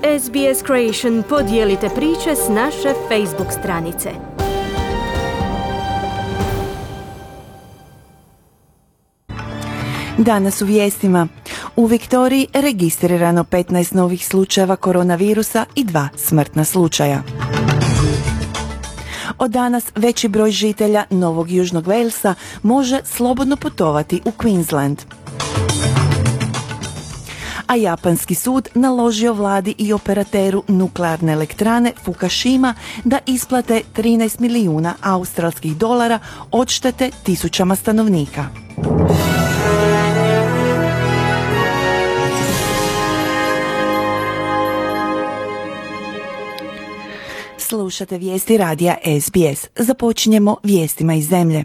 SBS Creation podijelite priče s naše Facebook stranice. Danas u vijestima. U Viktoriji registrirano 15 novih slučajeva koronavirusa i 2 smrtna slučaja. Od danas veći broj žitelja Novog Južnog Walesa može slobodno putovati u Queensland. A japanski sud naložio vladi i operateru nuklearne elektrane Fukushima da isplate 13 milijuna australskih dolara odštete tisućama stanovnika. Slušate vijesti radija SBS. Započinjemo vijestima iz zemlje.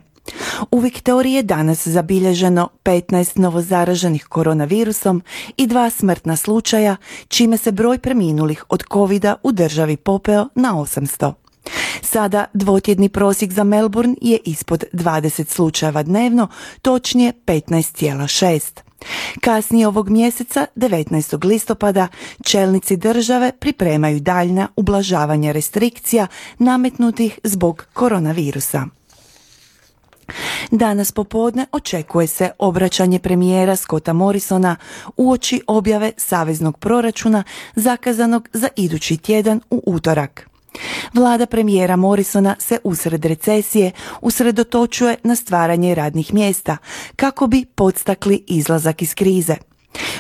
U Viktoriji je danas zabilježeno 15 novozaraženih koronavirusom i 2 smrtna slučaja, čime se broj preminulih od covida u državi popeo na 800. Sada dvotjedni prosjek za Melbourne je ispod 20 slučajeva dnevno, točnije 15,6. Kasnije ovog mjeseca, 19. listopada, čelnici države pripremaju daljnja ublažavanja restrikcija nametnutih zbog koronavirusa. Danas popodne očekuje se obraćanje premijera Scotta Morrisona uoči objave saveznog proračuna zakazanog za idući tjedan u utorak. Vlada premijera Morrisona se usred recesije usredotočuje na stvaranje radnih mjesta kako bi podstakli izlazak iz krize.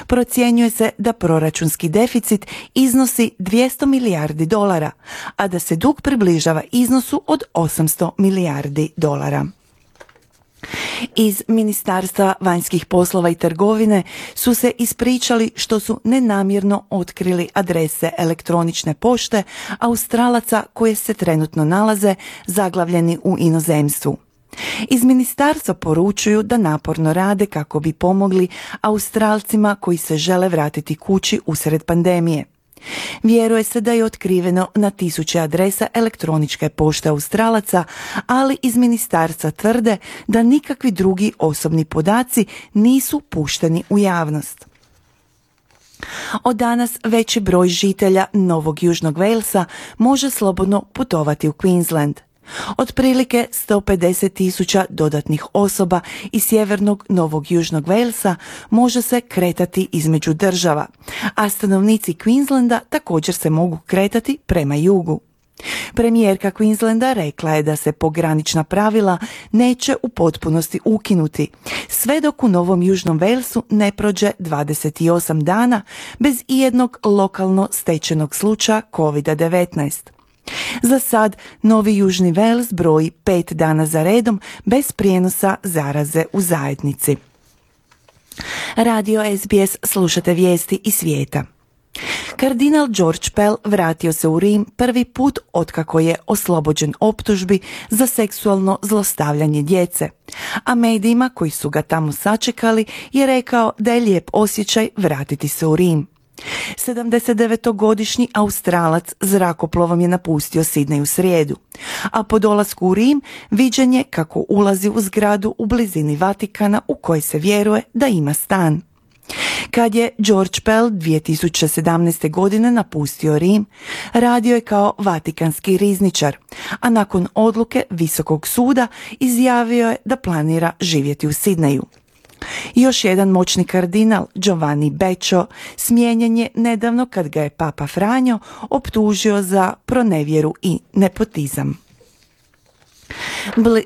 Procjenjuje se da proračunski deficit iznosi 200 milijardi dolara, a da se dug približava iznosu od 800 milijardi dolara. Iz Ministarstva vanjskih poslova i trgovine su se ispričali što su nenamjerno otkrili adrese elektronične pošte Australaca koje se trenutno nalaze zaglavljeni u inozemstvu. Iz ministarstva poručuju da naporno rade kako bi pomogli Australcima koji se žele vratiti kući usred pandemije. Vjeruje se da je otkriveno na tisuće adresa elektroničke pošte Australaca, ali iz ministarstva tvrde da nikakvi drugi osobni podaci nisu pušteni u javnost. Od danas veći broj žitelja Novog Južnog Walesa može slobodno putovati u Queensland. Otprilike 150.000 dodatnih osoba iz sjevernog Novog Južnog Walesa može se kretati između država, a stanovnici Queenslanda također se mogu kretati prema jugu. Premijerka Queenslanda rekla je da se pogranična pravila neće u potpunosti ukinuti, sve dok u Novom Južnom Walesu ne prođe 28 dana bez ijednog lokalno stečenog slučaja COVID-19. Za sad, Novi Južni Wales broji 5 dana za redom bez prijenosa zaraze u zajednici. Radio SBS, slušate vijesti iz svijeta. Kardinal George Pell vratio se u Rim prvi put otkako je oslobođen optužbi za seksualno zlostavljanje djece, a medijima koji su ga tamo sačekali je rekao da je lijep osjećaj vratiti se u Rim. 79-godišnji Australac zrakoplovom je napustio Sidney u srijedu, a po dolasku u Rim viđen je kako ulazi u zgradu u blizini Vatikana u kojoj se vjeruje da ima stan. Kad je George Pell 2017. godine napustio Rim, radio je kao vatikanski rizničar, a nakon odluke Visokog suda izjavio je da planira živjeti u Sidneyu. Još jedan moćni kardinal, Giovanni Beccio, smijenjen je nedavno kad ga je Papa Franjo optužio za pronevjeru i nepotizam.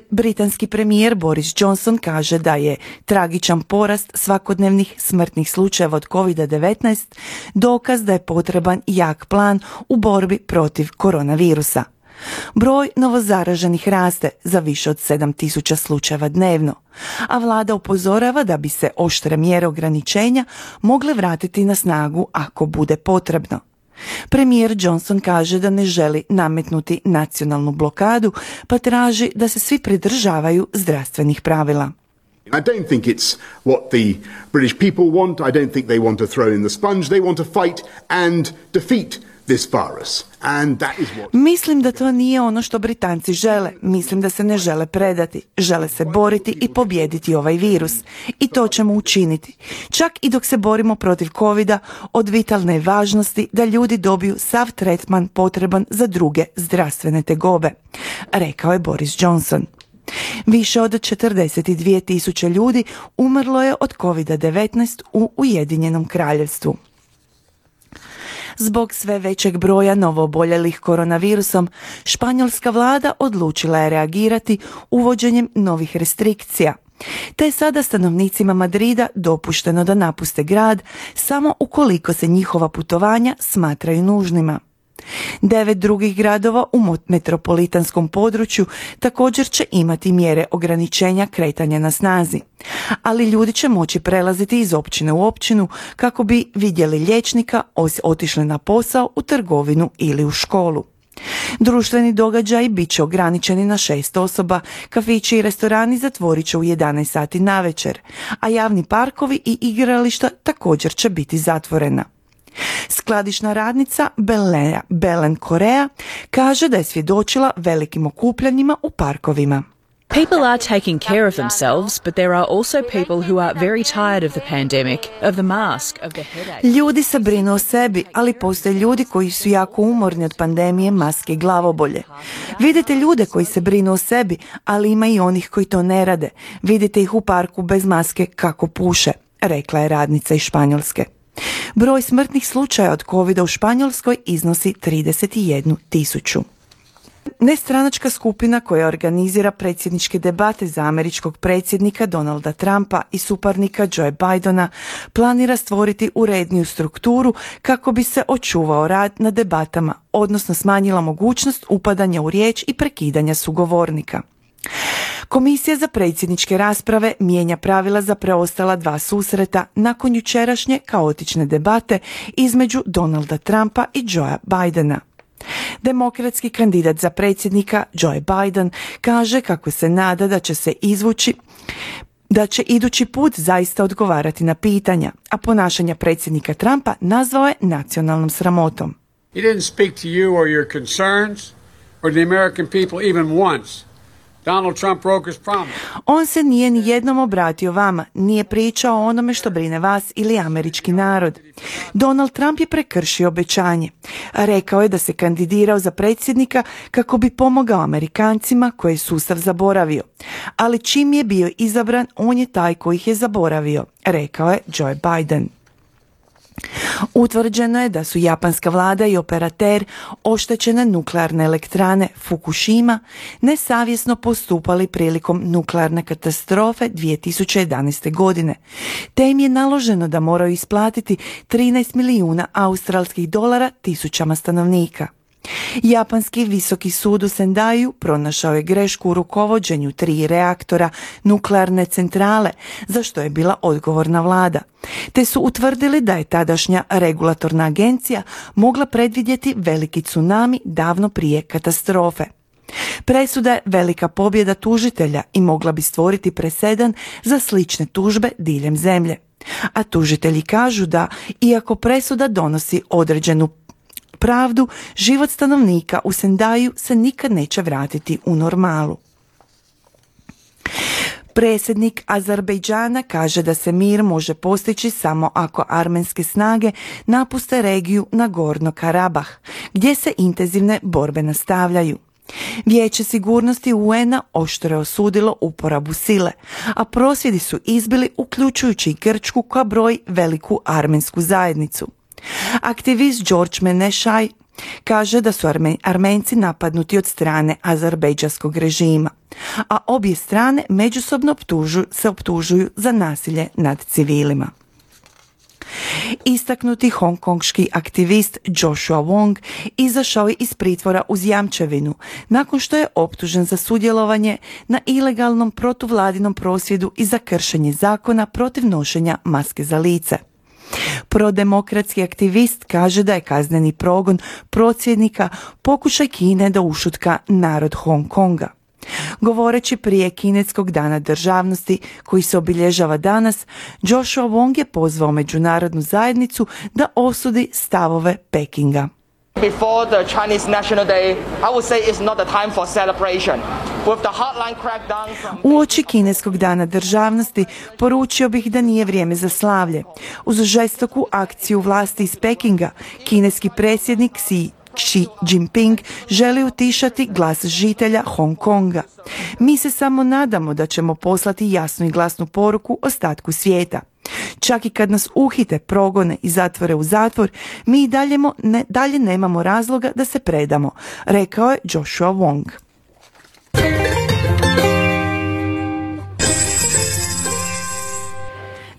Britanski premijer Boris Johnson kaže da je tragičan porast svakodnevnih smrtnih slučajeva od COVID-19 dokaz da je potreban jak plan u borbi protiv koronavirusa. Broj novozaraženih raste za više od 7.000 slučajeva dnevno, a vlada upozorava da bi se oštre mjere ograničenja mogle vratiti na snagu ako bude potrebno. Premijer Johnson kaže da ne želi nametnuti nacionalnu blokadu, pa traži da se svi pridržavaju zdravstvenih pravila. I don't think it's what the British people want. I don't think they want to throw in the sponge. They want to fight and defeat this virus. And that is what... Mislim da to nije ono što Britanci žele. Mislim da se ne žele predati. Žele se boriti i pobijediti ovaj virus. I to ćemo učiniti. Čak i dok se borimo protiv covida, od vitalne je važnosti da ljudi dobiju sav tretman potreban za druge zdravstvene tegobe, rekao je Boris Johnson. Više od 42.000 ljudi umrlo je od COVID-19 u Ujedinjenom Kraljevstvu. Zbog sve većeg broja novooboljelih koronavirusom, španjolska vlada odlučila je reagirati uvođenjem novih restrikcija. Te je sada stanovnicima Madrida dopušteno da napuste grad samo ukoliko se njihova putovanja smatraju nužnima. 9 drugih gradova u metropolitanskom području također će imati mjere ograničenja kretanja na snazi, ali ljudi će moći prelaziti iz općine u općinu kako bi vidjeli liječnika, otišli na posao, u trgovinu ili u školu. Društveni događaji bit će ograničeni na 6 osoba, kafići i restorani zatvorit će u 11 sati navečer, a javni parkovi i igrališta također će biti zatvorena. Skladišna radnica Belen Korea kaže da je svjedočila velikim okupljanjima u parkovima. People are taking care of themselves, but there are also people who are very tired of the pandemic, of the mask, of the headache. Ljudi se brinu o sebi, ali postoje ljudi koji su jako umorni od pandemije, maske i glavobolje. Vidite ljude koji se brinu o sebi, ali ima i onih koji to ne rade. Vidite ih u parku bez maske kako puše, rekla je radnica iz Španjolske. Broj smrtnih slučaja od covida u Španjolskoj iznosi 31.000. Nestranačka skupina koja organizira predsjedničke debate za američkog predsjednika Donalda Trumpa i suparnika Joe Bidena planira stvoriti uredniju strukturu kako bi se očuvao rad na debatama, odnosno smanjila mogućnost upadanja u riječ i prekidanja sugovornika. Komisija za predsjedničke rasprave mijenja pravila za preostala 2 susreta nakon jučerašnje kaotične debate između Donalda Trumpa i Joea Bidena. Demokratski kandidat za predsjednika Joe Biden kaže kako se nada da će idući put zaista odgovarati na pitanja, a ponašanja predsjednika Trumpa nazvao je nacionalnom sramotom. He didn't speak to you or your concerns or the American people even once. Donald Trump broke his promise. On se nije ni jednom obratio vama, nije pričao o onome što brine vas ili američki narod. Donald Trump je prekršio obećanje. Rekao je da se kandidirao za predsjednika kako bi pomogao Amerikancima koje je sustav zaboravio. Ali čim je bio izabran, on je taj koji ih je zaboravio, rekao je Joe Biden. Utvrđeno je da su japanska vlada i operater oštećene nuklearne elektrane Fukushima nesavjesno postupali prilikom nuklearne katastrofe 2011. godine, te im je naloženo da moraju isplatiti 13 milijuna australskih dolara tisućama stanovnika. Japanski visoki sud u Sendaju pronašao je grešku u rukovođenju 3 reaktora nuklearne centrale, za što je bila odgovorna vlada, te su utvrdili da je tadašnja regulatorna agencija mogla predvidjeti veliki tsunami davno prije katastrofe. Presuda je velika pobjeda tužitelja i mogla bi stvoriti presedan za slične tužbe diljem zemlje. A tužitelji kažu da, iako presuda donosi određenu pravdu, život stanovnika u Sendaju se nikad neće vratiti u normalu. Predsjednik Azerbejdžana kaže da se mir može postići samo ako armenske snage napuste regiju Nagorno Karabah, gdje se intenzivne borbe nastavljaju. Vijeće sigurnosti UN-a oštro je osudilo uporabu sile, a prosvjedi su izbili uključujući i Grčku koja broji veliku armensku zajednicu. Aktivist George Menešaj kaže da su Armenci napadnuti od strane azerbejdžanskog režima, a obje strane međusobno se optužuju za nasilje nad civilima. Istaknuti hongkonški aktivist Joshua Wong izašao je iz pritvora uz jamčevinu nakon što je optužen za sudjelovanje na ilegalnom protuvladinom prosvjedu i za kršenje zakona protiv nošenja maske za lice. Prodemokratski aktivist kaže da je kazneni progon prosvjednika pokušaj Kine da ušutka narod Hong Konga. Govoreći prije kineskog dana državnosti koji se obilježava danas, Joshua Wong je pozvao međunarodnu zajednicu da osudi stavove Pekinga. Before the Chinese National Day, I would say it's not the time for celebration. With the hardline crackdown from... Uoči kineskog dana državnosti poručio bih da nije vrijeme za slavlje. Uz žestoku akciju vlasti iz Pekinga, kineski predsjednik Xi Jinping želi utišati glas žitelja Hong Konga. Mi se samo nadamo da ćemo poslati jasnu i glasnu poruku ostatku svijeta. Čak i kad nas uhite, progone i zatvore u zatvor, mi i dalje nemamo razloga da se predamo, rekao je Joshua Wong.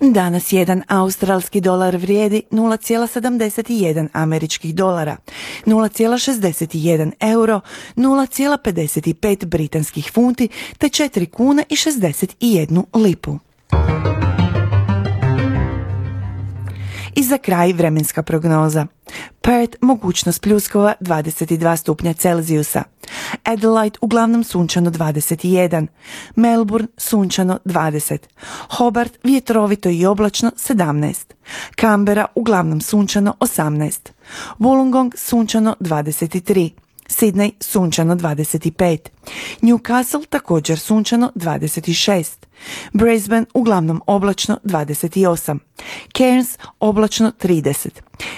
Danas jedan australski dolar vrijedi 0,71 američkih dolara, 0,61 euro, 0,55 britanskih funti te 4 kune i 61 lipu. I za kraj vremenska prognoza. Perth mogućnost pljuskova 22 stupnja Celzijusa. Adelaide uglavnom sunčano 21. Melbourne sunčano 20. Hobart vjetrovito i oblačno 17. Canberra uglavnom sunčano 18. Wollongong sunčano 23. Sydney sunčano 25. Newcastle također sunčano 26. Brisbane uglavnom oblačno 28. Cairns oblačno 30.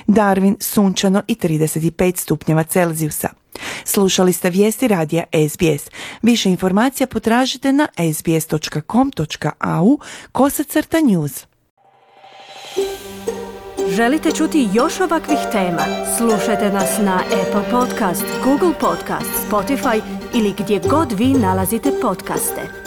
Darwin sunčano i 35 stupnjeva Celzijusa. Slušali ste vijesti radija SBS. Više informacija potražite na sbs.com.au/news. Želite čuti još ovakvih tema? Slušajte nas na Apple Podcast, Google Podcast, Spotify ili gdje god vi nalazite podcaste.